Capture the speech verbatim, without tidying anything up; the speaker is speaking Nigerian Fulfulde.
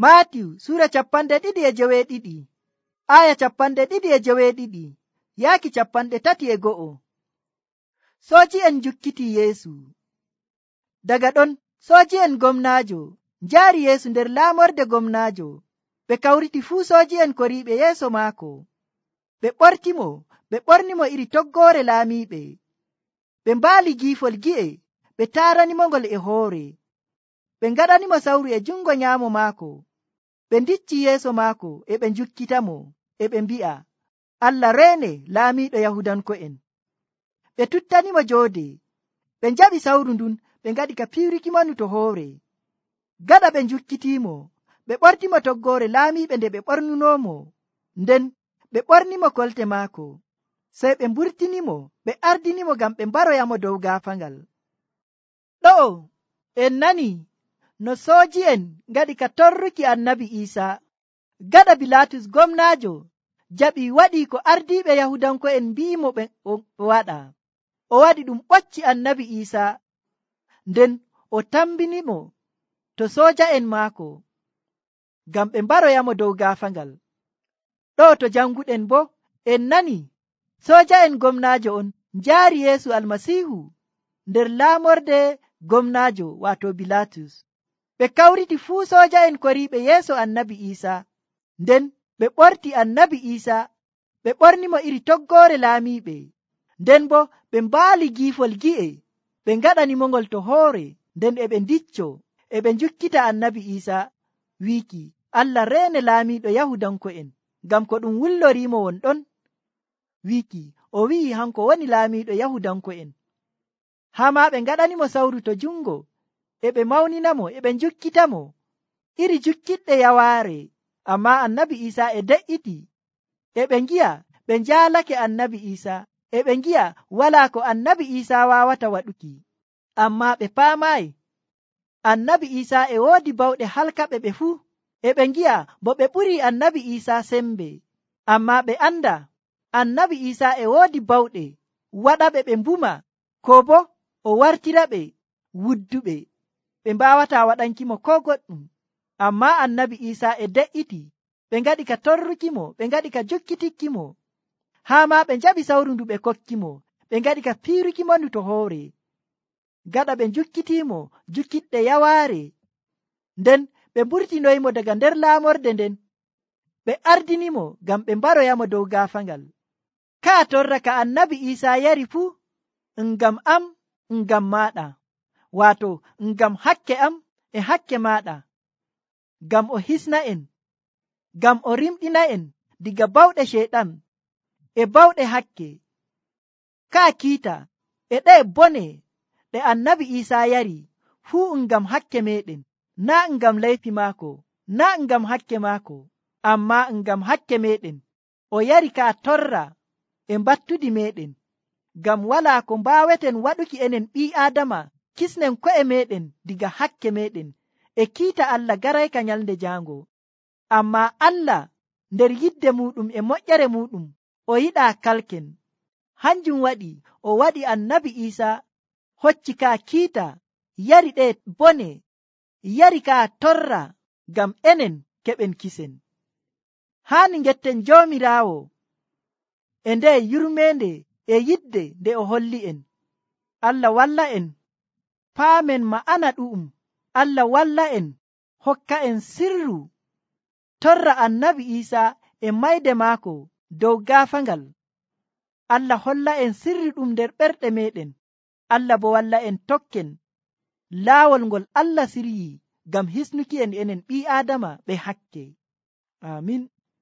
Maatiyu Sura capanɗe ɗiɗi e joweeɗiɗi, aya capanɗe ɗiɗi e joweeɗiɗi, yaaki capanɗe tati e go'o. Sooji'en njukkiti Yeesu. Daga ɗon sooji'en gomnaajo njaari Yeesu nder laamorde gomnaajo. Ɓe kawriti fuu sooji'en koriiɓe yeeso maako. Ɓe ɓortimo, ɓe ɓornimo iri toggoore laamiiɓe. Ɓe mbaali giifol gi'e, ɓe taaranimo ngol e hoore. Ɓe ngaɗanimo sawru e jungo nyaamo maako. Ɓe ndicci yeeso maako e ɓe njukkitamo, e ɓe mbi'a, Allah reene laamiiɗo Yahudanko'en. Ɓe tuttanimo joode. Ɓe njaɓi sawru ndun, ɓe ngaɗi ka piiwrikimo ndu to hoore. Gaɗa ɓe njukkitiimo, ɓe ɓortimo toggoore laamiiɓe nde ɓe ɓornunomo, nden ɓe ɓornimo kolte maako. Sey ɓe mburtinimo, ɓe ardinimo ngam ɓe mbaroyamo dow gaafaangal. Ɗo'o en nani no sooji'en ngaɗi ka torruki annabi Iisaa. Gaɗa Bilaatus gomnaajo jaɓi waɗi ko ardiiɓe Yahudanko'en mbi'imo ɓe o waɗa. O waɗi ɗum ɓocci annabi Iisaa, nden o tambinimo to sooja'en maako ngam ɓe mbaroyamo dow gaafaangal. Ɗo to janguɗen bo en nani sooja'en gomnaajo on njaari Yeesu Almasiihu nder laamorde gomnaajo waato Bilaatus. Ɓe kawriti fuu sooja'en koriiɓe yeeso annabi Iisaa, nden ɓe ɓorti annabi Iisaa, ɓe ɓornimo iri toggoore laamiiɓe, nden bo ɓe mbaali giifol gi'e, ɓe ngaɗanimo ngol to hoore, nden e ɓe ndicco e ɓe njukkita annabi Iisaa, wiiki Allah reene laamiiɗo Yahudanko'en, ngam ko ɗum wulloriimo won ɗon, wiiki o wi'i hanko woni laamiiɗo Yahudanko'en. Haa maa ɓe ngaɗanimo sawru to jungo, e ɓe mawninamo, e ɓe njukkitamo iri jukkiɗɗe yawaare. Ammaa annabi Iisaa e de'iti, e ɓe ngi'a ɓe njaalake annabi Iisaa, e ɓe ngi'a walaa ko annabi Iisaa waawata waɗuki. Ammaa ɓe paamaayi annabi Iisaa e woodi bawɗe halkaɓe ɓe fuu, e ɓe ngi'a bo ɓe ɓurii annabi Iisaa sembe. Ammaa ɓe anda annabi Iisaa e woodi bawɗe waɗaɓe ɓe mbuma, ko bo o wartiraɓe wudduɓe, ɓe mbaawata waɗankimo ko goɗɗum. Ammaa annabi Iisaa e de'iti, ɓe ngaɗi ka torrukimo, ɓe ngaɗi ka jukkitikkimo, haa maa ɓe njaɓi sawru ndu ɓe kokkimo, ɓe ngaɗi ka piirukimo ndu to hoore. Gaɗa ɓe njukkitiimo jukkiɗɗe yawaare, nden ɓe mburtinoyimo daga nder laamorde nden, ɓe ardinimo ngam ɓe mbaroyamo dow gaafaangal. Kaa torra ka annabi Iisaa yari fuu, ngam am, ngam maaɗa, waato ngam hakke am e hakke maaɗa, ngam o hisna en, ngam o rimɗina en diga bawɗe Ceyɗan e bawɗe hakke. Kaa kiita e ɗe bone ɗe annabi Iisaa yari fuu ngam hakke meɗen, naa ngam laifi maako, naa ngam hakke maako, ammaa ngam hakke meɗen. O yari kaa torra e mbattudi meɗen, ngam walaa ko mbaaweten waɗuki enen ɓii Aadama kisnen ko'e meɗen diga hakke meɗen e kiita Allah garayka nyalnde jaango. Ammaa Allah nder yidde muɗum e moƴƴere muɗum o yiɗaa kalken. Hanjum waɗi o waɗi annabi Iisaa hocci kaa kiita, yari ɗe bone, yari kaa torra ngam enen keɓen kisen. Haani ngetten Joomiraawo e nde yurmeende e yidde nde o holli en. Allah walla en paamen ma'ana ɗu'um. Allah walla en hokka en sirru torra annabi Iisaa e mayde maako dow gaafaangal. Allah holla en sirru ɗum nder ɓerɗe meɗen. Allah bo walla en tokken laawol ngol Allah siryi ngam hisnuki en enen ɓii Aadama ɓe hakke. Amin.